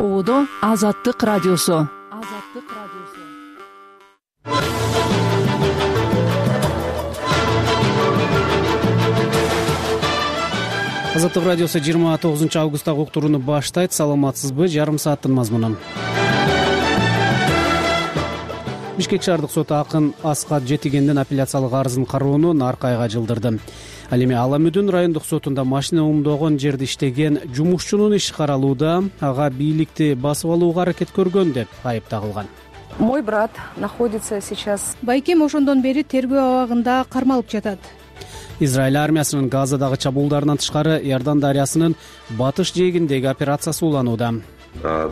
Оодо Азаттык радиосу. Азаттык радиосу 29 августтагы уктурууну баштайт. Саламатсызбы? Жарым сааттын мазмунун. Бишкек шаардык соту акын Аскат Жетигендин апелляциялык арызын кароону наркы айга жылдырды. Ал эми Ала Мүдүн райондук сотунда машина умдогон жерде иштеген жумушчунун иши каралууда, ага бийликти басып алууга аракет көргөн деп айып тагылган. Мой брат находится сейчас. Байкем ошондон бери тергөө абагында кармалып жатат. Израиль армиясынын Газадагы чабуулдарынан тышкары Иордан дарыясынын батыш жээгиндеги операциясы уланууда.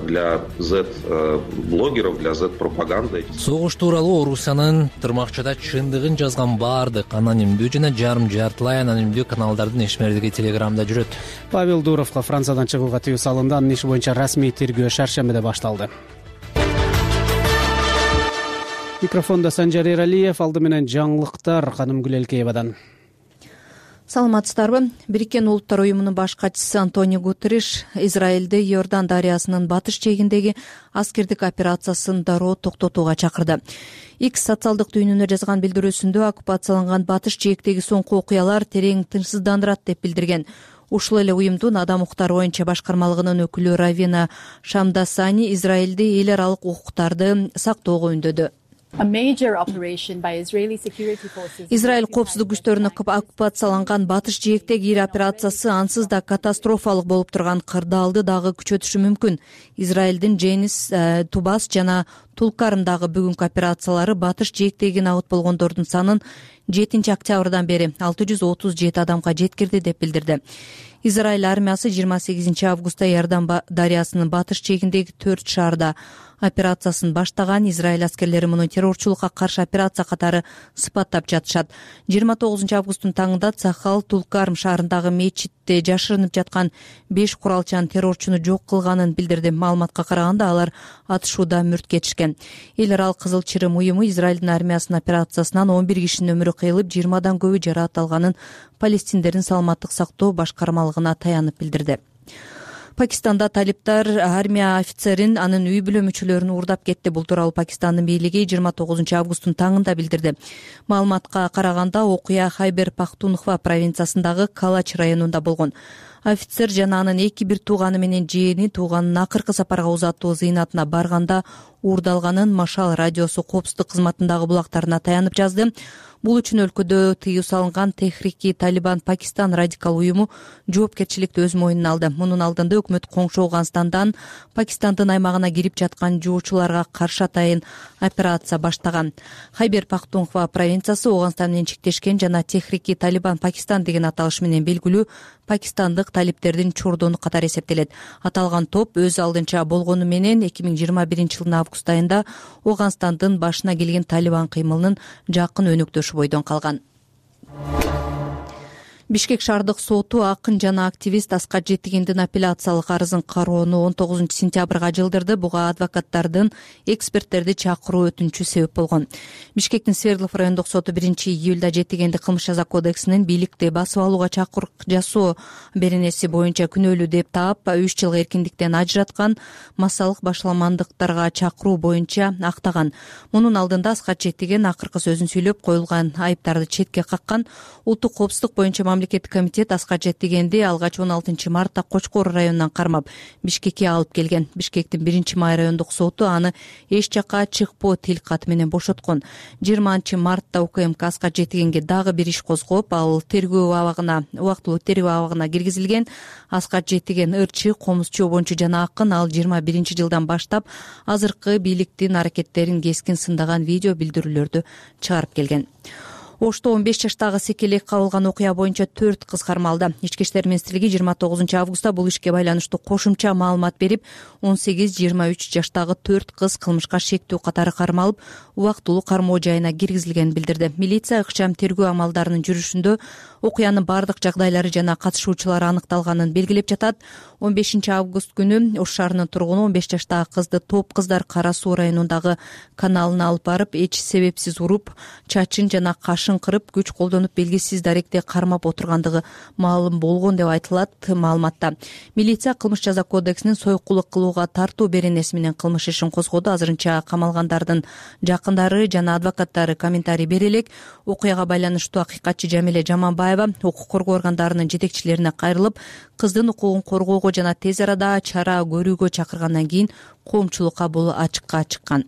Для Z-блогеров, для Z-пропаганды. Согуш тууралуу Орусиянын тырмакчада чындыгын жазган баардык анонимдүү жана жарым-жартылай анонимдүү каналдардын ишмердиги Телеграмда жүрөт. Павел Дуровго Франциядан чыгууга тыюу салынды. Анын иши боюнча расмий тергөө шаршембиде башталды. Микрофондо Санжар Эралиев, алды менен жаңылыктар Канымгүл Элкеевадан. Саламатсыздарбы? Бириккен Улуттар уюмунун баш катчысы Антонио Гутерриш Израилде Иордан дарыясынын батыш жээгиндеги аскердик операциясын дароо токтотууга чакырды. X социалдык түйүнүнө жазган билдирүүсүндө оккупацияланган батыш жээктеги соңку окуялар терең тынчсыздандырат деп билдирген. Ушул эле уюмдун Адам укуктары боюнча башкармалыгынын өкүлү Равина Шамдасани Израилде эл аралык укуктарды сактоого үндөдү. Израиль коопсуздук күчтөрүнүн оккупацияланган батыш жээктеги ири операциясы ансыз да катастрофалык болуп турган кырдаалды дагы күчөтүшү мүмкүн. Израилдин Женис, Тубас жана Тулкарымдагы бүгүнкү операциялары батыш жээктеги набыт болгондордун санын 7 октябрдан бери 637 адамга жеткирди деп билдирди. Израиль армиясы 28 августта Иордан дарыясынын батыш жээгиндеги 4 шаарда операциясын баштаган. Израиль аскерлери муну террорчулукка каршы операция катары сыпаттап жатышат. 29 августтун таңында Цахал Тулкарм шаарындагы мечитте жашырынып жаткан 5 куралчан террорчуну жок кылганын билдирди. Маалыматка караганда алар атышууда мүрт кетишкен. Эл аралык Кызыл Чырым уюму Израилдин армиясынын операциясынан 11 кишинин өмүрү кыйылып, 20 көбү жараат алганын палестиндердин саламаттык сактоо башкармалыгына таянып билдирди. Пакистанда талиптар армия офицерин анын үй бүлө мүчөлөрүн уурдап кетти. Бул тууралуу Пакистандын бийлиги 29 августтун таңында билдирди. Маалыматка караганда окуя Хайбер Пахтунхва провинциясындагы Калач районунда болгон. Офицер жана анын 2 тууганы менен жээни тууганын акыркы сапарга узатуу зыйнатына барганда уурдалганын Машал радиосу коопсуздук кызматындагы булактарына таянып жазды. Бул үчүн өлкөдө тыюу салынган Техрики Талибан Пакистан радикал уюму жоопкерчиликти өз мойнуна алды. Мунун алдында өкмөт коңшу Афганистандан Пакистандын аймагына кирип жаткан жуучуларга каршы атайын операция баштаган. Хайбер Пахтунхва провинциясы Афганистан менен чектешкен жана Техрики Талибан Пакистан деген аталыш менен белгилүү пакистандык талиптердин чурдону катары эсептелет. Аталган топ өз алдынча болгону менен 2021 жылдын август айында Афганистандын башына келген Талибан кыймылынын жакын өнөктөшү бойдон калган. Бишкек шаардык соту акын жана активист Аскат Жетигендин апелляциялык арызын кароону 19 сентябрга жылдырды. Буга адвокаттардын эксперттерди чакыруу өтүнүчү себеп болгон. Бишкектин Свердлов райондук соту 1-июлда Жетигенди кылмыш жаза кодексинин бийликти басып алууга чакырык жасоо беренеси боюнча күнөөлүү деп таап 3 жылга эркиндиктен ажыраткан, массалык башаламандыктарга чакыруу боюнча актаган. Мунун алдында Аскат Жетиген акыркы сөзүн сүйлөп, коюлган айыптарды четке каккан. Улуттук коопсуздук боюнча мамлекеттик комитет Аскат Жетигенди алгач 16 мартта Кочкор районунан кармап Бишкекке алып келген. Бишкектин 1-май райондук соту аны эч жакка чыкпоо тил каты менен бошоткон. 20 мартта УКМК Аскат Жетигенге дагы бир иш козгоп, ал тергөө абагына, убактылуу тергөө абагына киргизилген. Аскат Жетиген ырчы, комузчу, обончу жана акын. Ал 21 жылдан баштап азыркы бийликтин аракеттерин кескин сындаган видео билдирүүлөрдү чыгарып келген. Ошто 15 жаштагы секелек кабылган окуя боюнча 4 кыз кармалды. Ички иштер министрлиги 29 августта бул ишке байланыштуу кошумча маалымат берип, 18-23 жаштагы 4 кыз кылмышка шектүү катары кармалып, убактылуу кармоо жайына киргизилгенин билдирди. Милиция ыкчам тергөө амалдарынын жүрүшүндө окуянын бардык жагдайлары жана катышуучулары аныкталганын белгилеп жатат. 15 август күнү Ош шаарынын тургуну 15 жаштагы кызды топ кыздар Кара Суу районундагы каналына алып барып, эч себепсиз уруп, чачын жана кашын шыңкырып күч колдонуп белгисиз даректи кармап отургандыгы маалым болгон деп айтылат маалыматта. Милиция кылмыш жаза кодексинин сойкулук кылууга тартуу беренеси менен кылмыш ишин козгоду. Азырынча камалгандардын жакындары жана адвокаттары комментарий бере элек. Окуяга байланыштуу акыйкатчы Жамиле Жаманбаева укук коргоо органдарынын жетекчилерине кайрылып, кыздын укугун коргоого жана тез арада чара көрүүгө чакыргандан кийин коомчулукка бул ачыкка чыккан.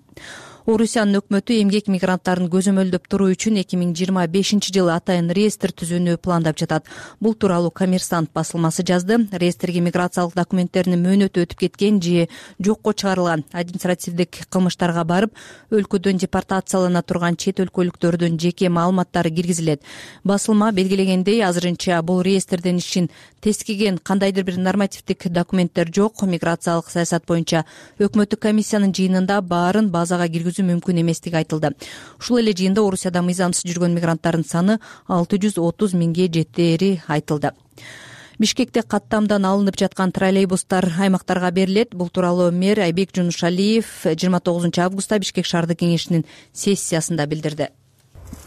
Орусиянын өкмөтү эмгек мигранттарын көзөмөлдөп туруу үчүн 2025-жылы атайын реестр түзүүнү пландап жатат. Бул тууралуу Коммерсант басылмасы жазды. Реестрге миграциялык документтеринин мөөнөтү өтүп кеткен же жокко чыгарылган административдик кылмыштарга барып, өлкөдөн депортациялана турган чет өлкөлүктөрдүн жеке маалыматтары киргизилет. Басылма белгилегендей, азырынча бул реестрден ишин тескиген кандайдыр бир нормативдик документтер жок. Миграциялык саясат боюнча өкмөттүк комиссиянын жыйынында баарын базага киргизүү мүмкүн эместиги айтылды. Ушул эле жыйында Орусияда мыйзамсыз жүргөн мигранттардын саны 630 миңге жетери айтылды. Бишкекте каттамдан алынып жаткан троллейбустар аймактарга берилет. Бул тууралуу мэр Айбек Жунушалиев 29 августта Бишкек шаардык кеңешинин сессиясында билдирди.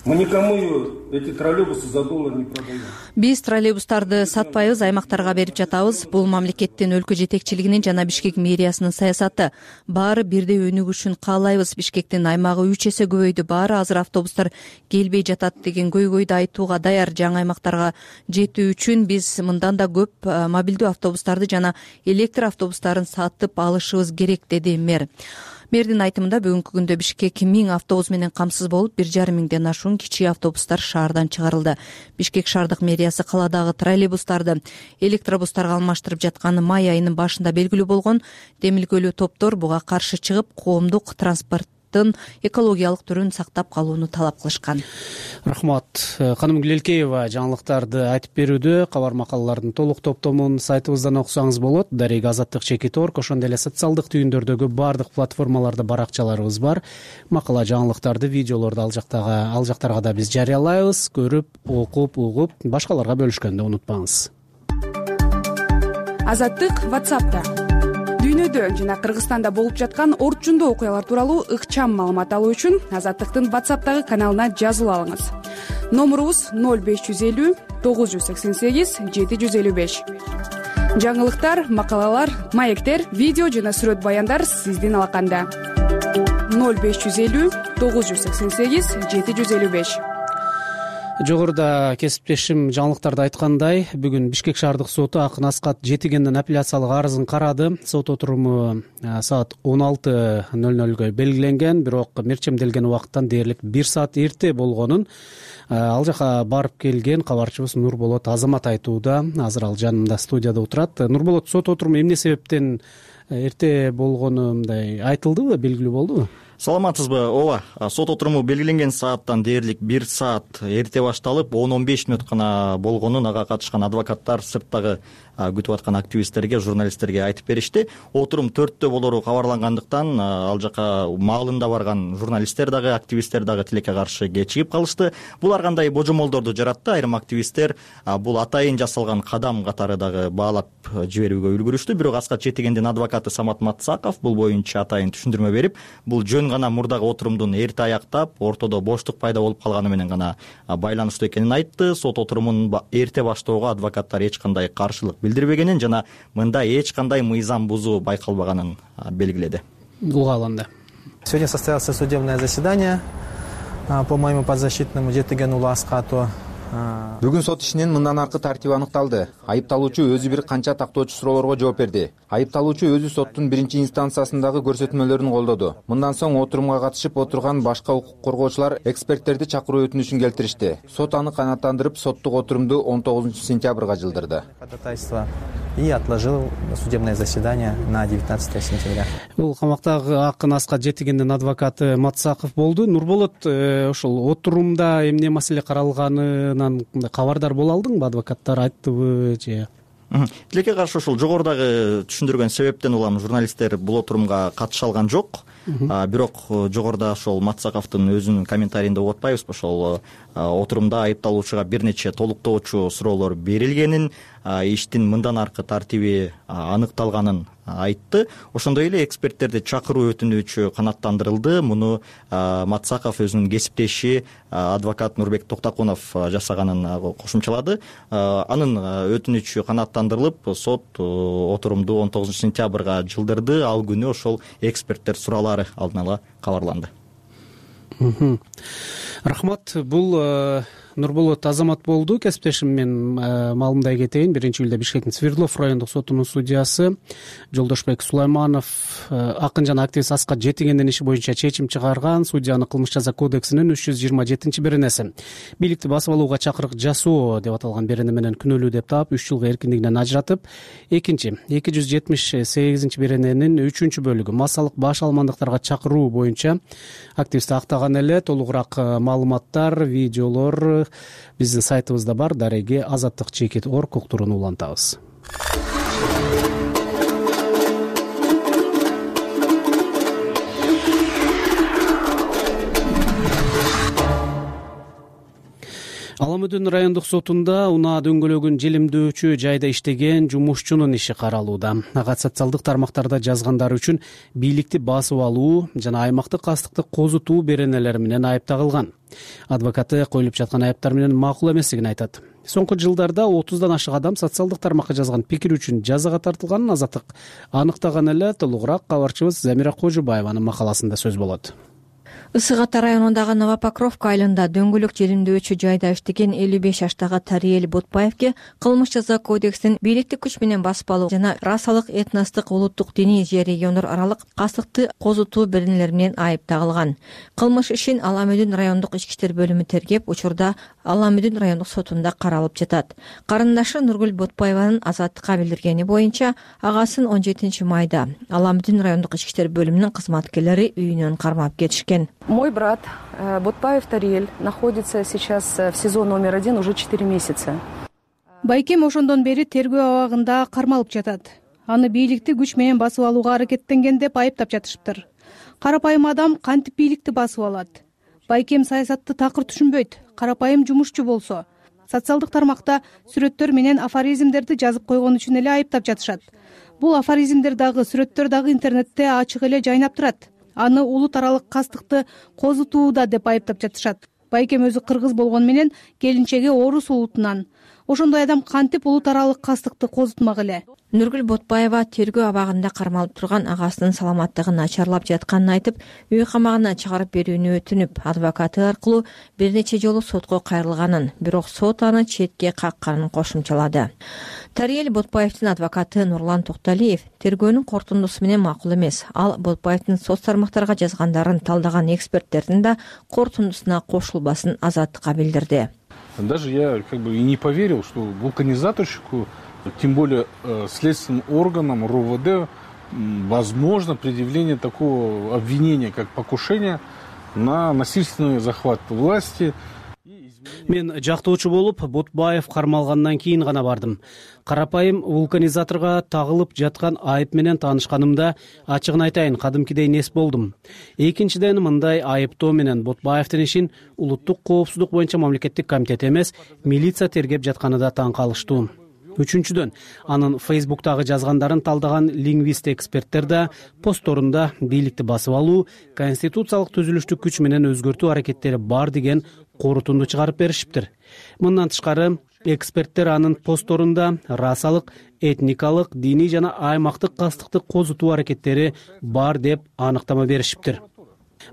Мы никому эти троллейбусы за доллар не продаем. Биз троллейбустарды сатпайбыз, аймактарга берип жатабыз. Бул мамлекеттин өлкө жетекчилигинин жана Бишкек мэриясынын саясаты. Баары бирдей өнүгүшүн каалайбыз. Бишкектин аймагы 3 эсе көбөйдү. Баары азыр автобустар келбей жатат деген көйгөйдү айтууга даяр. Жаңы аймактарга жетүү үчүн биз мындан да көп мобилдүү автобустарды жана электр автобустарын сатып алышыбыз керек, деди мэр. Мэрдин айтымында бүгүнкү күндө Бишкек 1000 автобус менен камсыз болуп, 1,5 миңден ашуун кичи автобустар шаардан чыгарылды. Бишкек шаардык мэриясы каладагы троллейбустарды электробустарга алмаштырып жатканы май айынын башында белгилүү болгон. Демилгөлүү топтор буга каршы чыгып, коомдук транспорттун экологиялык түрүн сактап калууну талап кылышкан. Рахмат. Ханым Гүлелкеева жаңылыктарды айтып берүүдө. Кабар макалалардын толук топтомун сайтыбыздан окусаңыз болот. Дарек Азаттык Чекит.org, ошондой эле социалдык түйүндөрдөгү бардык платформаларда баракчаларыбыз бар. Макала жаңылыктарды, видеолорду ал жактарга да биз жарыялайбыз. Көрүп, окуп, угуп, башкаларга бөлүшкөндү унутпаңыз. Азаттык WhatsApp'та. Дүйнөдө жана Кыргызстанда болуп жаткан орчундуу окуялар тууралуу ыкчам маалымат алуу үчүн Азаттыктын WhatsApp'тагы каналына жазылып алыңыз. Номурубуз 0550 988 755. Жаңылыктар, макалалар, маектер, видео жана сүрөт баяндар сиздин алаканда. 0550 988 755. Жогоруда кесиптешим жаңылыктарды айткандай, бүгүн Бишкек шаардык соту Акын Аскат Жетигендин апелляциялык арызын карады. Сот отуруму саат 16:00 белгиленген, бирок мерчемделген убакыттан дээрлик 1 саат эрте болгонун ал жака барып келген кабарчыбыз Нурболот Азамат айтууда. Азыр ал жанымда студияда отурат. Нурболот, сот отуруму эмне себептен эрте болгону мындай айтылдыбы, белгилүү болдубу? Саламатсызбы? Ооба, сот отуруму белгиленген сааттан дээрлик 1 саат эрте башталып, 10-15 мүнөт гана болгонун ага катышкан адвокаттар, сырттагы күтүп аткан активисттерге, журналисттерге айтып беришти. Отурум 4-тө болору кабарлангандыктан ал жака маалында барган журналисттер дагы, активисттер дагы тилекке каршы кечигип калышты. Булар кандай божомолдорду жаратты? Айрым активисттер бул атайын жасалган кадам катары дагы баалап жиберүүгө үлгүрүштү. Бирок Аскат Жетигендин адвокаты Самат Матсаков бул боюнча атайын түшүндүрмө берип, бул жөн гана мурдагы отурумдун эрте аяктап, ортодо боштук пайда болуп калганы менен гана байланыштуу экенин айтты. Сот отурумун эрте баштоого адвокаттар эч кандай каршылык билдирбегенин жана мында эч кандай мыйзам бузуу байкалбаганын белгиледи. Угаланды. Сегодня состоялось судебное заседание по моему подзащитному Жетигену Аскату. Бүгүн сот ишинин мындан аркы тартиби аныкталды. Айыпталуучу өзү бир канча тактоочу суроолорго жооп берди. Айыпталуучу өзү соттун биринчи инстанциясындагы көрсөтмөлөрүн колдоду. Мындан соң отурумга катышып отурган башка укук коргоочулар эксперттерди чакыруу өтүнүшүн келтиришти. Сот аны канааттандырып, соттук отурумду 19 сентябрга жылдырды. И отложил судебное заседание на 19 сентября. Бул камактагы Акын Аскат Жетигендин адвокаты Матсаков болду. Нурболот, ошол отурумда эмне маселе каралганынан кабардар боло алдыңбы? Адвокаттар айттыбы же? Тилекке каршы ошол жогорудагы түшүндүргөн себептен улам журналисттер бул отурумга катыша алган жок. Бирок жогоруда ошол Матсаковдун өзүнүн комментарийинде угуп атпайбызбы? Ошол отурумда айыпталуучуга бир нече толуктоочу суроолор берилгенин, иштин мындан аркы тартиби аныкталганын айтты. Ошондой эле эксперттерди чакыруу өтүнүчү канааттандырылды. Муну Матсаков өзүнүн кесиптеши адвокат Нурбек Токтокунов жасаганын кошумчалады. Анын өтүнүчү канааттандырылып, сот отурумду 19 сентябрга жылдырды. Ал күнү ошол эксперттер суроолору алдын ала кабарланды. Рахмат. Бул Нурболот Азамат болду. Кесиптешим мен маалымдай кетейин. 1-июлда Бишкектин Свердлов райондук сотунун судьясы Жолдошбек Сулайманов акын жана активист Аскат Жетигендин иши боюнча чечим чыгарган. Судьянын кылмыш жаза кодексинин 327-беренеси бийликти басып алууга чакырык жасоо деп аталган берене менен күнөөлүү деп таап 3 жылга эркиндигинен ажыратып, экинчи 278-берененин 3-бөлүгү массалык баш алмандыктарга чакыруу боюнча активистти актаган эле. Толугураак маалыматтар, видеолор биздин сайтыбызда бар. Дареги azаттык.org уктуруну улантабыз. Аламүдүн райондук сотунда унаа дөңгөлөгүн желимдөөчү жайда иштеген жумушчунун иши каралууда. Ага социалдык тармактарда жазгандары үчүн бийликти басып алуу жана аймактык кастыкты козутуу беренелери менен айып тагылган. Адвокаты коюлуп жаткан айыптар менен макул эместигин айтат. Соңку жылдарда 30дан ашык адам социалдык тармакка жазган пикир үчүн жазага тартылганын Азаттык аныктаган эле. Толугураак кабарчыбыз Замира Кожубаеванын макаласында сөз болот. Ысык Ата районундагы Новопокровка айылында дөңгөлөк желимдөөчү жайда иштеген 55 жаштагы Тариел Ботпаевке кылмыш жаза кодексинин бийликти күч менен басып алуу жана расалык, этностук, улуттук, диний же региондор аралык кастыкты козутуу беренелери менен айып тагылган. Кылмыш ишин Аламүдүн райондук ички иштер бөлүмү тергеп, учурда Аламүдүн райондук сотунда каралып жатат. Карындашы Нургүл Ботпаеванын Азаттыкка билдиргени боюнча, агасын 17 майда Аламүдүн райондук ички иштер бөлүмүнүн кызматкерлери үйүнөн кармап кетишкен. Мой брат Ботпаев Тариел находится сейчас в СИЗО номер 1 уже 4 месяца. Байкем ошондон бери тергөө абагында кармалып жатат. Аны бийликти күч менен басып алууга аракеттенген деп айыптап жатышыптыр. Карапайым адам кантип бийликти басып алат? Байкем саясатты такыр түшүнбөйт. Карапайым жумушчу болсо, социалдык тармакта сүрөттөр менен афоризмдерди жазып койгон үчүн эле айыптап жатышат. Бул афоризмдер дагы, сүрөттөр дагы интернетте ачык эле жайнап турат. Аны улут аралык кастыкты козутууда деп айыптап жатышат. Байкем өзү кыргыз болгону менен келинчеги орус улутунан. Ошондой адам кантип улут аралык кастыкты козутмак эле? Нургүл Ботпаева тергөө абагында кармалып турган агасынын саламаттыгын начарлап жатканын айтып, үй камагына чыгарып берүүнү өтүнүп, адвокаты аркылуу бир нече жолу сотко кайрылганын, бирок сот аны четке какканын кошумчалады. Тариел Ботпаевдин адвокаты Нурлан Токталиев тергөөнүн корутундусу менен макул эмес. Ал Ботпаевдин соц тармактарга жазгандарын талдаган эксперттердин да корутундусуна кошулбасын Азаттыкка билдирди. Даже я и не поверил, что вулканизаторщику, тем более следственным органам РОВД, возможно предъявление такого обвинения, как покушение на насильственный захват власти. Мен жактоочу болуп, Ботпаев кармалгандан кийин гана бардым. Карапайым вулканизаторго тагылып жаткан айып менен таанышканымда, ачыгын айтайын, кадимкидей нес болдум. Экинчиден, мындай айыптоо менен Ботпаевдин ишин улуттук коопсуздук боюнча мамлекеттик комитет эмес, милиция тергеп жатканы да таң калыштуу. Үчүнчүдөн, анын Фейсбуктагы жазгандарын талдаган лингвист эксперттер да постторунда бийликти басып алуу, конституциялык түзүлүштү күч менен өзгөртүү аракеттери бар деген корутунду чыгарып беришиптир. Мындан тышкары, эксперттер анын постторунда расалык, этникалык, диний жана аймактык кастыкты козутуу аракеттери бар деп аныктама беришиптир.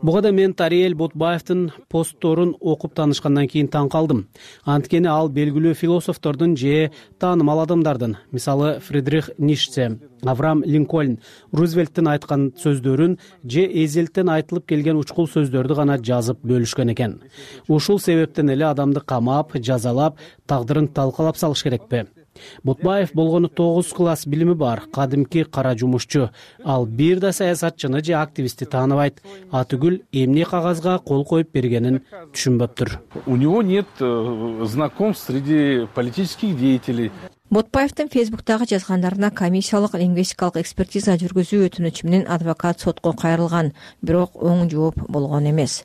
Буга да мен Тариел Ботпаевдин постторун окуп таанышкандан кийин таң калдым. Анткени ал белгилүү философтордун же таанымал адамдардын, мисалы Фридрих Ницше, Авраам Линкольн, Рузвельттин айткан сөздөрүн же эзелттен айтылып келген учкул сөздөрдү гана жазып бөлүшкөн экен. Ушул себептен эле адамды камап, жазалап, тагдырын талкалап салыш керекпи? Ботпаев болгону 9 класс билими бар, кадимки кара жумушчу. Ал бир да саясатчыны же активистти тааныбайт. Атүгүл эмне кагазга кол коюп бергенин түшүнбөптүр. У него нет знакомств среди политических деятелей. Ботпаевдин Фейсбуктагы жазгандарына комиссиялык лингвистикалык экспертиза жүргүзүү өтүнүчү менен адвокат сотко кайрылган, бирок оң жооп болгон эмес.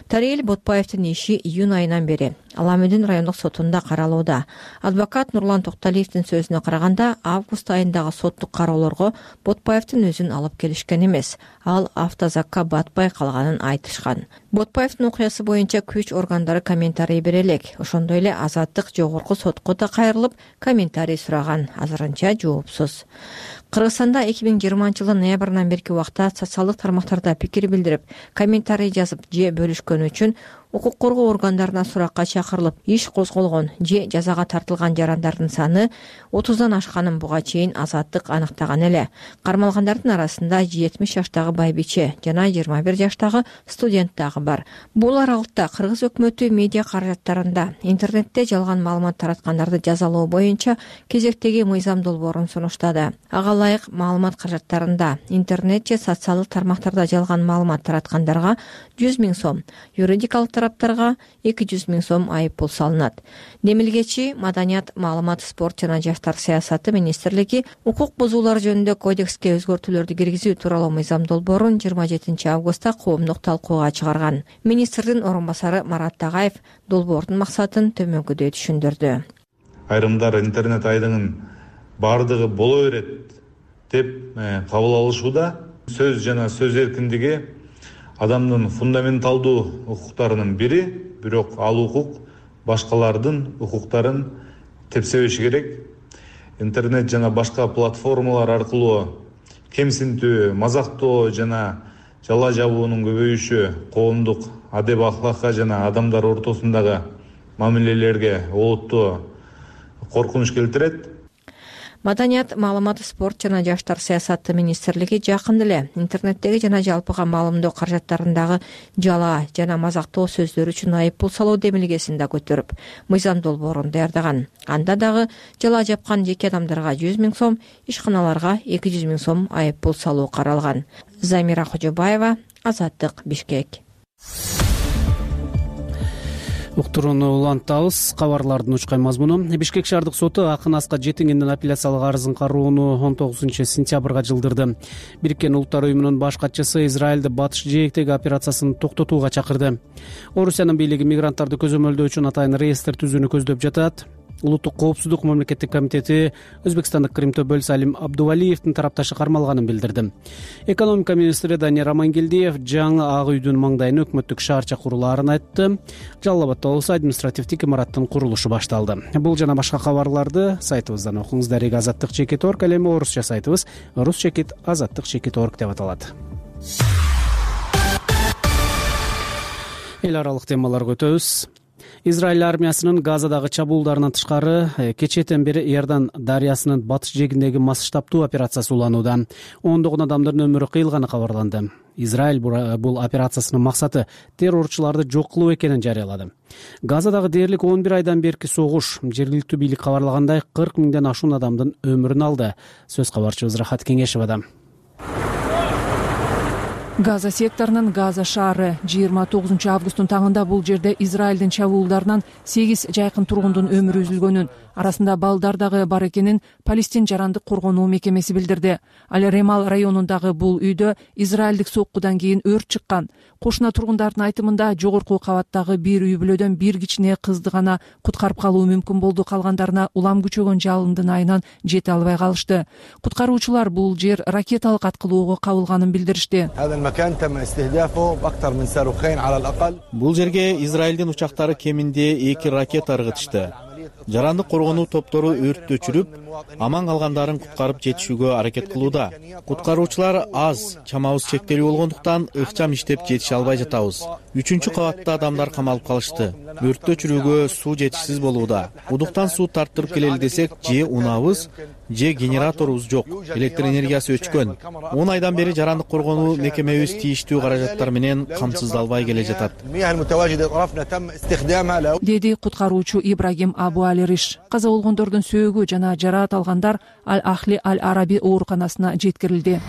Тариел Ботпаевдин иши июнь айынан бери Ала Мүдүн райондук сотунда каралууда. Адвокат Нурлан Токталиевдин сөзүнө караганда, август айындагы соттук кароолорго Ботпаевдин өзүн алып келишкен эмес. Ал автозакка батпай калганын айтышкан. Ботпаевдин окуясы боюнча күч органдары комментарий бере элек. Ошондой эле Азаттык жогорку сотко да кайрылып, комментарий сураган, азырынча жоопсуз. Кыргызстанда 2020 жылдын ноябрынан берки убакта социалдык тармактарда пикир билдирип, комментарий жазып же бөлүшкөн үчүн укук коргоо органдарына суракка чакырылып, иш козголгон же жазага тартылган жарандардын саны 30дан ашканын буга чейин Азаттык аныктаган эле. Кармалгандардын арасында 70 жаштагы байбиче жана 21 жаштагы студент дагы бар. Бул аралыкта Кыргыз өкмөтү медиа каражаттарында интернетте жалган маалымат тараткандарды жазалоо боюнча кезектеги мыйзам долбоорун сунуштады. Ага ылайык маалымат каражаттарында интернет же социалдык тармактарда жалган маалымат тараткандарга 100 000 сом, юридикалык тараптарга 200 000 сом айып пул салынат. Демилгечи Маданият, маалымат, спорт жана жаштар саясаты министрлиги укук бузуулар жөнүндө кодекске өзгөртүүлөрдү киргизүү тууралуу мыйзам долбоорун 27 августта коомдук талкууга чыгарган. Министрдин орун басары Марат Тагаев долбоордун максатын төмөнкүдөй түшүндүрдү. Айрымдар интернет айдыңын бардыгы боло берет деп кабыл алышууда. Сөз жана сөз эркиндиги адамдын фундаменталдуу укуктарынын бири, бирок ал укук башкалардын укуктарын тепсебеши керек. Интернет жана башка платформалар аркылуу кемсинтүү, мазактоо жана жала жабуунун көбөйүшү коомдук адеп ахлакка жана адамдар ортосундагы мамилелерге олуттуу коркунуч келтирет. Маданият, маалымат, спорт жана жаштар саясаты министрлиги жакында эле интернеттеги жана жалпыга маалымдоо каражаттарындагы жала жана мазактоо сөздөр үчүн айып пул салуу демилгесин да көтөрүп, мыйзам долбоорун даярдаган. Анда дагы жала жапкан жеке адамдарга 100 000 сом, ишканаларга 200 000 сом айып пул салуу каралган. Замира Кожобаева, Азаттык, Бишкек. Уктурууну улантабыз. Кабарлардын учкай мазмуну. Бишкек шаардык соту акын Аскат Жетигендин апелляциялык арызын кароону 19-сентябрга жылдырды. Бириккен Улуттар уюмунун баш катчысы Израилди батыш жээктеги операциясын токтотууга чакырды. Орусиянын бийлиги мигранттарды көзөмөлдөө үчүн атайын реестр түзүүнү көздөп жатат. Улуттук коопсуздук мамлекеттик комитети өзбекстандык Крим Төбөл Салим Абдувалиевдин тарапташы кармалганын билдирди. Экономика министри Данияр Амангелдиев жаңы Ак үйдүн маңдайына өкмөттүк шаарча курулаарын айтты. Жалал Абадта болсо административдик имараттын курулушу башталды. Бул жана башка кабарларды сайтыбыздан окуңуз. Дарек Азаттык.org, эми орусча сайтыбыз rus.azаттык.org деп аталат. Эл аралык темаларга өтөбүз. Израиль армиясынын Газадагы чабуулдарынан тышкары кечээден бери Иордан дарыясынын батыш жээгиндеги масштабтуу операциясы уланууда. Ондогон адамдардын өмүрү кыйылганы кабарланды. Израиль бул операциясынын максаты террорчуларды жок кылуу экенин жарыялады. Газадагы дээрлик 11 айдан берки согуш жергиликтүү бийлик кабарлагандай 40 000ден ашуун адамдын өмүрүн алды. Сөз кабарчыбыз Рахат Кеңешевада. Газа секторунун Газа шаары 29 августтун таңында бул жерде Израилдин чабуулдарынан 8 жайкын тургундун өмүрү үзүлгөнүн, арасында балдар дагы бар экенин Палестин жарандык коргонуу мекемеси билдирди. Ал Ремал районундагы бул үйдө израилдик соккудан кийин өрт чыккан. Кошуна тургундардын айтымында жогорку кабаттагы бир үй бүлөдөн бир кичине кызды гана куткарып калуу мүмкүн болду, калгандарына улам күчөгөн жалындын айынан жете албай калышты. Куткаруучулар бул жер ракеталык аткылоого кабылганын билдиришти. Бул жерге Израилдин учактары кеминде 2 ракета ыргытышты. Жарандык коргонуу топтору өрттү өчүрүп, аман калгандарын куткарып жетишүүгө аракет кылууда. Куткаруучулар аз, чамабыз чектелүү болгондуктан ыкчам иштеп жетише албай жатабыз. 3-чү кабатта адамдар камалып калышты. Өрттү өчүрүүгө суу жетишсиз болууда. Удуктан суу тарттырып келели десек, же унабыз, же генераторубуз жок. Электр энергиясы өчкөн. 10 айдан бери жарандык коргонуу мекемебиз тийиштүү каражаттар менен камсыздалбай келе жатат, деди куткаруучу Ибрагим Абу Алириш. Каза болгондордун сөөгү жана жараат алгандар Аль-Ахли Аль-Араби ооруканасына жеткирилди.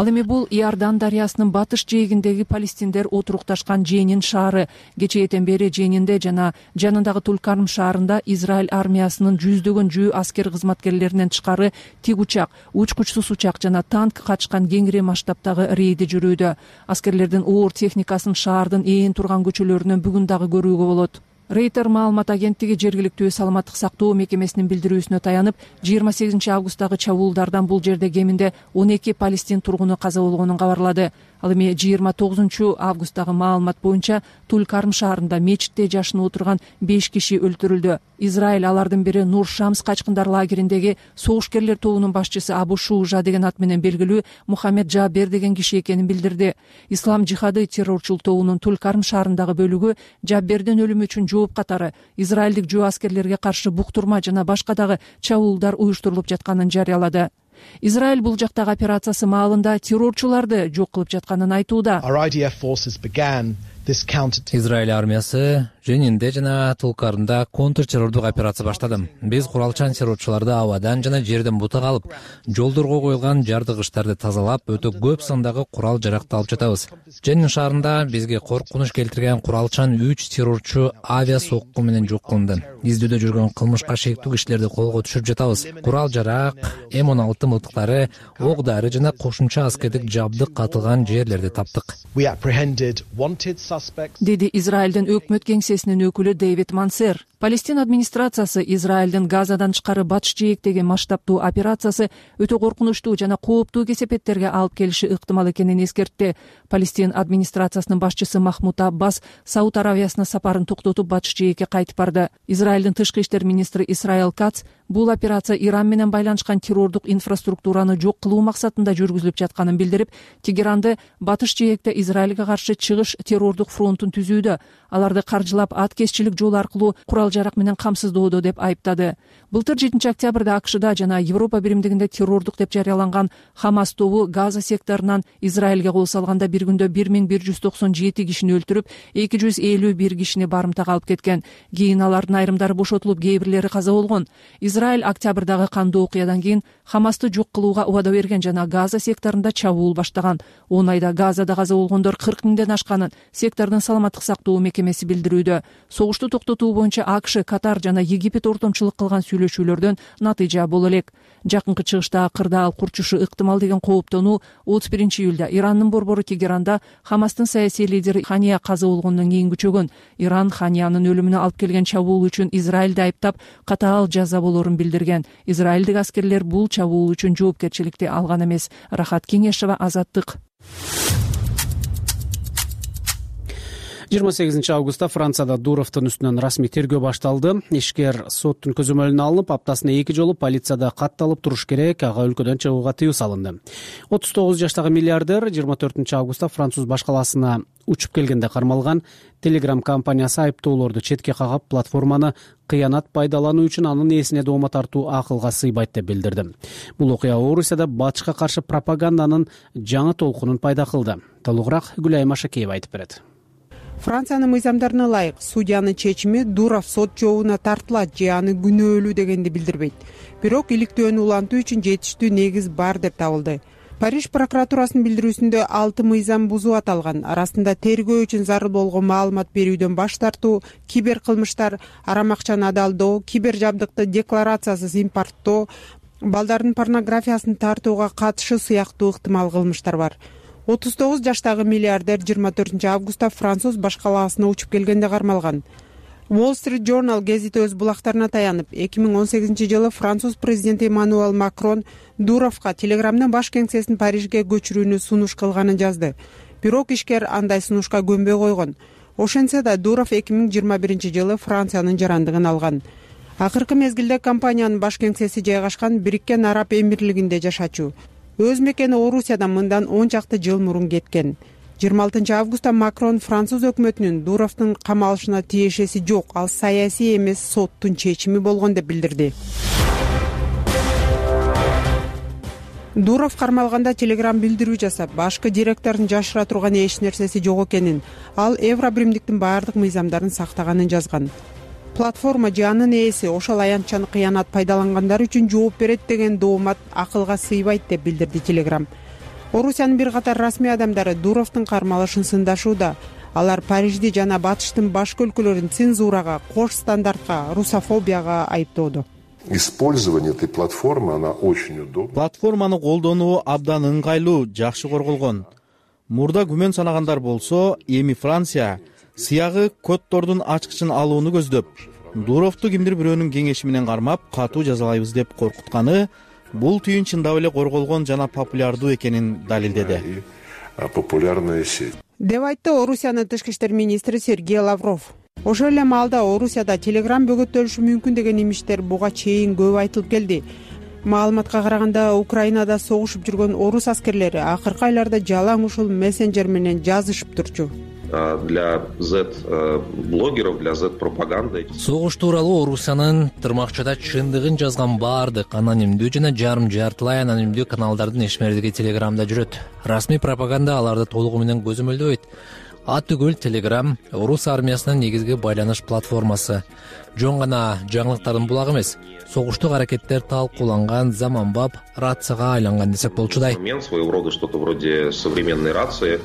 Ал эми бул Иордан дарыясынын батыш жээгиндеги палестиндер отурукташкан Женин шаары. Кечээден бери Женинде жана жанындагы Тулкарм шаарында Израиль армиясынын жүздөгөн жөө аскер кызматкерлеринен тышкары тик учак, учкучсуз учак жана танк качкан кеңири масштабтагы рейди жүрүүдө. Аскерлердин оор техникасын шаардын ээн турган көчөлөрүнөн бүгүн дагы көрүүгө болот. Рейтер маалымат агенттиги жергиликтүү саламаттык сактоо мекемесинин билдирүүсүнө таянып, 28 августтагы чабуулдардан бул жерде кеминде 12 палестин тургуну каза болгонун кабарлады. Ал эми 29 августтагы маалымат боюнча Тулкарм шаарында мечитте жашынып отурган 5 киши өлтүрүлдү. Израиль алардын бири Нур Шамс качкындар лагериндеги согушкерлер тобунун башчысы Абу Шужа деген ат менен белгилүү Мухаммед Джабер деген киши экенин билдирди. Ислам жихады террорчул тобунун Тулкарм шаарындагы бөлүгү Джабердин өлүмү үчүн жооп катары израилдик жөө аскерлерге каршы буктурма жана башка дагы чабуулдар уюштурулуп жатканын жарыялады. Израиль бул жактагы операциясы маалында террорчуларды жок кылып жатканын айтууда. Израиль армиясы Женинде жана Тулкармда контртеррордук операция баштады. Биз куралчан террорчуларды абадан жана жерден бутак алып, жолдорго коюлган жардыгычтарды тазалап, өтө көп сандагы курал жаракты алып жатабыз. Женин шаарында бизге коркунуч келтирген куралчан 3 террорчу авиа сокку менен жок кылынды. Издөөдө жүргөн кылмышка шектүү кишилерди колго түшүрүп жатабыз. Курал жарак, М16 мылтыктары, ок дары жана кошумча аскердик жабдык катылган жерлерди таптык. Деди Израилдин өкмөт кеңсесинин өкүлү Дэвид Мансер. Палестин администрациясы Израилдин Газадан тышкары батыш жээктеги масштабтуу операциясы өтө коркунучтуу жана кооптуу кесепеттерге алып келиши ыктымал экенин эскертти. Палестин администрациясынын башчысы Махмуд Аббас Сауд Аравиясына сапарын токтотуп батыш жээкке кайтып барды. Израилдин тышкы иштер министри Исраил Кац бул операция Иран менен байланышкан террордук инфраструктураны жок кылуу максатында жүргүзүлүп жатканын билдирип, Тегеранды батыш жээкте Израилге каршы чыгыш террордук фронтун түзүүдө, аларды каржылап аткезчилик жол аркылуу курал жарак менен камсыздоодо деп айыптады. Былтыр 7 октябрда АКШда жана Европа биримдигинде террордук деп жарыяланган Хамас тобу Газа секторунан Израилге кол салганда бир күндө 1197 кишини өлтүрүп, 251 кишини барымтага алып кеткен. Кийин алардын айрымдары бошотулуп, кээ бирлери каза болгон. Израиль октябрдагы кандуу окуядан кийин Хамасты жок кылууга убада берген жана Газа секторунда чабуул баштаган. 10 айда Газада каза болгондор 40 миңден ашканын сектордун саламаттык сактоо мекемеси билдирүүдө. Согушту токтотуу боюнча АКШ, Катар жана Египет ортомчулук кылган сүйлөшүүлөрдөн натыйжа боло элек. Жакынкы чыгышта кырдаал курчушу ыктымал деген кооптонуу 31 июлда Ирандын борбору Тегеранда Хамастын саясий лидери Хания каза болгондон кийин күчөгөн. Иран Ханиянын өлүмүнө алып келген чабуул үчүн Израилди айыптап, катаал жаза болорун билдирген. Израилдик аскерлер бул чабуул үчүн жоопкерчиликти алган эмес. Рахат Кеңешова, Азаттык. 28 августта Францияда Дуровдун үстүнөн расмий тергөө башталды. Ишкер соттун көзөмөлүнө алынып, аптасына 2 жолу полицияда катталып туруш керек, ага өлкөдөн чыгууга тыюу салынды. 39 жаштагы миллиардер 24 августта Француз баш калаасына учуп келгенде кармалган. Telegram компаниясы айыптоолорду четке кагап, платформаны кыянат пайдалануу үчүн анын ээсине доoma тартуу акылга сыйбайт деп билдирди. Бул окуя Орусияда батышка каршы пропаганданын жаңы толкунун пайда кылды. Толугураак Гүлайым Ашакеева айтып берет. Франциянын мыйзамдарына ылайык судьянын чечими Дуров сот жообуна тартылат же аны күнөөлүү дегенди билдирбейт. Бирок иликтөөнү улантуу үчүн жетиштүү негиз бар деп табылды. Париж прокуратурасынын билдирүүсүндө 6 мыйзам бузуу аталган. Арасында тергөө үчүн зарыл болгон маалымат берүүдөн баш тартуу, кибер кылмыштар, арам акчаны адалдоо, кибер жабдыкты декларациясыз импорттоо, балдардын порнографиясын тартууга катышы сыяктуу ыктымал кылмыштар бар. 39 жаштагы миллиардер 24 августта Француз баш калаасына учуп келгенде кармалган. Wall Street Journal гезити өз булактарына таянып, 2018 жылы Француз президенти Эммануэль Макрон Дуровго Телеграмдын баш кеңсесин Парижге көчүрүүнү сунуш кылганын жазды. Бирок ишкер андай сунушка көнбөй койгон. Ошентсе да Дуров 2021 жылы Франциянын жарандыгын алган. Акыркы мезгилде компаниянын баш кеңсеси жайгашкан Бириккен Араб Эмирлигинде жашачу. Өз мекени Орусиядан мындан 10 чакты жыл мурун кеткен. 26 августта Макрон Француз өкмөтүнүн Дуровдун камалышына тиешеси жок, ал саясий эмес соттун чечими болгон деп билдирди. Дуров кармалганда Telegram билдирүү жасап, башкы директордун жашыра турган эч нерсеси жок экенин, ал Евро биримдиктин баардык мыйзамдарын сактаганын жазган. Платформа же анын ээси ошол аянтчаны кыянат пайдалангандар үчүн жооп берет деген доомат акылга сыйбайт деп билдирди Telegram. орусиянын бир катар расмий адамдары Дуровдун кармалышын сындашууда. Алар Парижди жана батыштын башка өлкөлөрүн цензурага, кош стандартка, русофобияга айыптоодо. Использование этой платформы, она очень удобна. Платформаны колдонуу абдан ыңгайлуу, жакшы корголгон. Мурда күмөн санагандар болсо, эми Франция сыягы коддордун ачкычын алууну көздөп, Дуровду кимдир бирөөнүн кеңеши менен кармап, катуу жазалайбыз деп коркутканы бул түйүн чындап эле корголгон жана популярдуу экенин далилдеди. Популярная сеть. Деп айтты Орусиянын тышкы иштер министри Сергей Лавров. Ошол эле маалда Орусияда Telegram бөгөттөлүшү мүмкүн деген имиштер буга чейин көп айтылып келди. Маалыматка караганда, Украинада согушуп жүргөн орус аскерлери акыркы айларда жалаң ушул мессенджер менен жазышып турчу. Для Z-блогеров, для Z-пропаганды. Согуш тууралуу Орусиянын тырмакчада чындыгын жазган баардык анонимдүү жана жарым-жартылай анонимдүү каналдардын эшмердиги Телеграмда жүрөт. Расмий пропаганда аларды толугу менен көзөмөлдөбөйт. Атүгүл Telegram орус армиясынын негизги байланыш платформасы. Жон гана жаңылыктардын булагы эмес, согуштук аракеттер талкууланган заманбап рацияга айланган десек болчудай. Своего рода что-то вроде современной рации.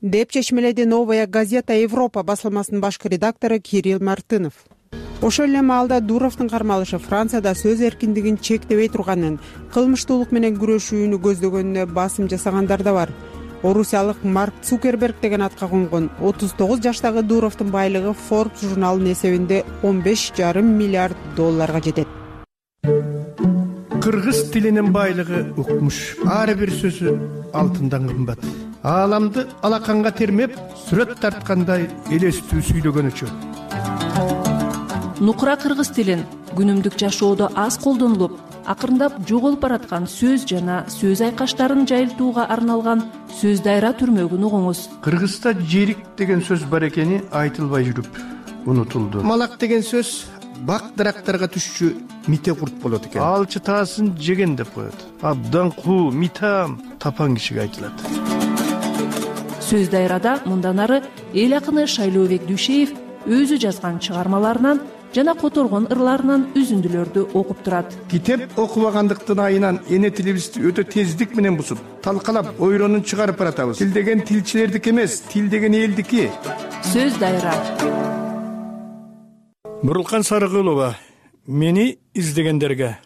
Деп чечмеледи Новая газета Европа басылмасынын башкы редактору Кирилл Мартынов. Ошол эле маалда Дуровдун кармалышы Францияда сөз эркиндигин чектебей турганын, кылмыштуулук менен күрөшүүнү көздөгөнүнө басым жасагандар да бар. Орусиялык Марк Цукерберг деген атка конгон 39 жаштагы Дуровдун байлыгы Forbes журналынын эсебинде $15,5 миллиард жетет. Кыргыз тилинин байлыгы укмуш. Ар бир сөзү алтындан кымбат. Ааламды алаканга термеп, сүрөт тарткандай элестүү сүйлөгөнүчү. Нукура кыргыз тилин күнүмдүк жашоодо аз колдонулуп, акырындап жоголуп бараткан сөз жана сөз айкаштарын жайылтууга арналган сөз дайра түрмөгүн угуңуз. Кыргызда жерик деген сөз бар экени айтылбай жүрүп унутулду. Малак деген сөз бак дарактарга түшчү мите курт болот экен. Ал чытаасын жеген деп коет. Абдан куу, митам тапан кишиге айтылат. Сөз дайрада мындан ары эл акыны Шайлообек Дүйшеев өзү жазган чыгармаларынан жана которгон ырларынан үзүндүлөрдү окуп турат. Китеп окубагандыктын айынан эне тилибизди өтө тездик менен бузуп, талкалап, ойронун чыгарып баратабыз. Тил деген тилчилердики эмес, тил деген элдики. Сөз дайра. Мурулкан Сарыгулова, мени издегендерге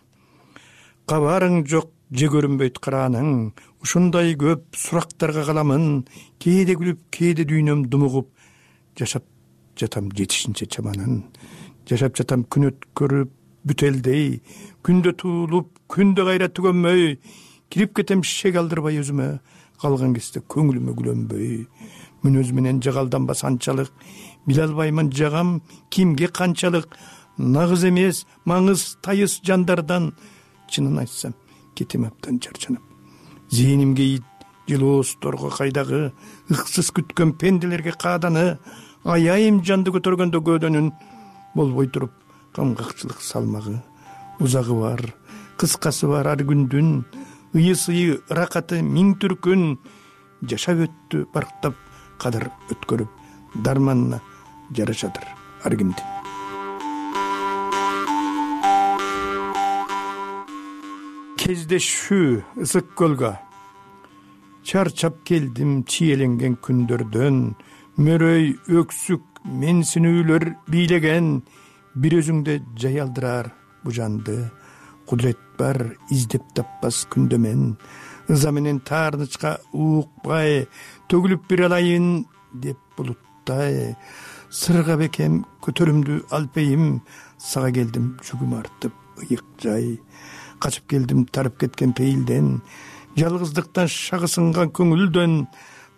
кабарың жок, же көрүнбөйт карааның, ушундай көп сурактарга каламын, кээде күлүп, кээде дүйнөм думугуп, жашап жатам жетишинче чаманын. Жашап жатам күн өткөрүп бүтелдей, күндө туулуп, күндө кайра түгөнмөй, кирип кетем шек алдырбай өзүмө, калган кезде көңүлүмө күлөнбөй. Мүнөз менен жагалданбас анчалык, биле албаймын жагам кимге канчалык, нагыз эмес, маңыз тайыз жандардан, чынын айтсам, кетем абдан чарчанып. Зээнимге жылоосторго кайдагы, ыксыз күткөн пенделерге кааданы, аяйым жанды көтөргөндө көөдөнүн, болбой туруп камгакчылык салмагы. Узагы бар, кыскасы бар ар күндүн, ыйы-сыйы ыракаты миң түркүн, жашап өттү барктап, кадыр өткөрүп, дарманына жарашадыр ар кимди. Кездешүү ысык көлгө, чарчап келдим чиеленген күндөрдөн, мөрөй өксүк менсинүүлөр бийлеген, бир өзүңдө жай алдырар бу жанды. Кудурет бар издеп таппас күндө мен, ыза менен таарнычка уукпай, төгүлүп бир алайын деп булуттай. Сырга бекем көтөрүмдү алпейим, сага келдим жүгүм артып ыйык жай. Качып келдим тарып кеткен пейилден, жалгыздыктан шагы сынган көңүлдөн,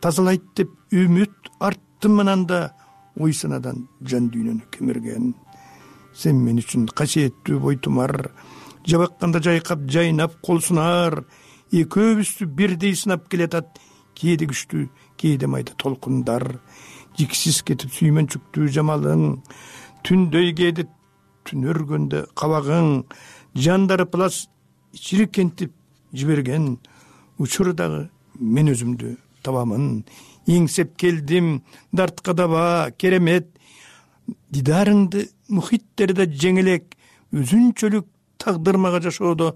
тазалайт деп үмүт арттым ананда, ой санадан жан дүйнөнү кемирген. Сен мен үчүн касиеттүү бойтумар, жабакканда жайкап жайнап кол сунар. Экөөбүздү бирдей сынап келатат, кээде күчтүү, кээде майда толкундар. Жиксиз кетип сүймөнчүктүү жамалың, түндөй кээде түнөргөндө кабагың, жандары плас чиркентип жиберген. Учурдагы мен өзүмдү табамын, эңсеп келдим дартка даба керемет. Дидарыңды мухиттерде жеңелек, өзүнчөлүк тагдырмага жашоодо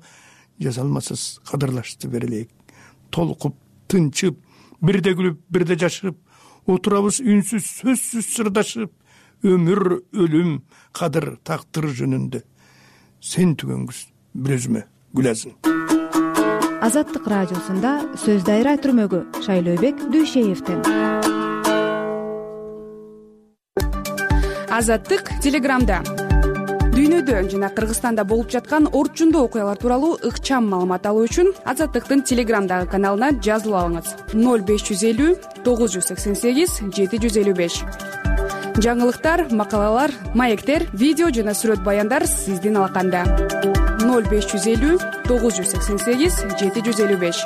жазалмасыз кадырлашты берелек. Толкуп тынчып, бирде күлүп, бирде жашып, отурабыз үнсүз, сөзсүз сырдашып, өмүр, өлүм, кадыр, тактыр жөнүндө. Сен түгөнгүз бир өзүмө гүлазым. Азаттык радиосунда сөз дайра түрмөгү Шайлообек Дүйшеевден. Азаттык телеграмда дүйнөдө жана Кыргызстанда болуп жаткан орчундуу окуялар тууралуу ыкчам маалымат алуу үчүн Азаттыктын телеграмдагы каналына жазылып алыңыз. 0550 988 755. Жаңылыктар, макалалар, маектер, видео жана сүрөт баяндар сиздин алаканда. 0550 988 755.